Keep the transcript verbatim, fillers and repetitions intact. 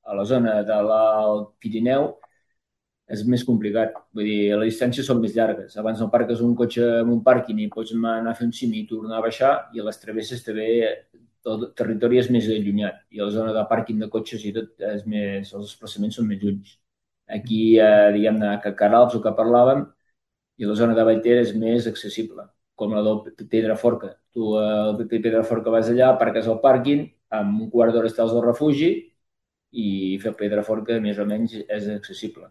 a la zona de l'Alt Pirineu és més complicat. Vull dir, les distàncies són més llargues. Abans no parques un cotxe en un pàrquing i pots anar a fer un cim i tornar a baixar, i a les travesses també el territori és més allunyat i a la zona de pàrquing de cotxes i tot és més, els desplaçaments són més junts. Aquí, eh, diguem-ne, que Caralps, el que parlàvem, i la zona de Vallter és més accessible, com la del Pedraforca. Tu eh, al Pedraforca vas allà, parques al pàrquing, amb un quart d'hora estàs al refugi i fer Pedraforca més o menys és accessible.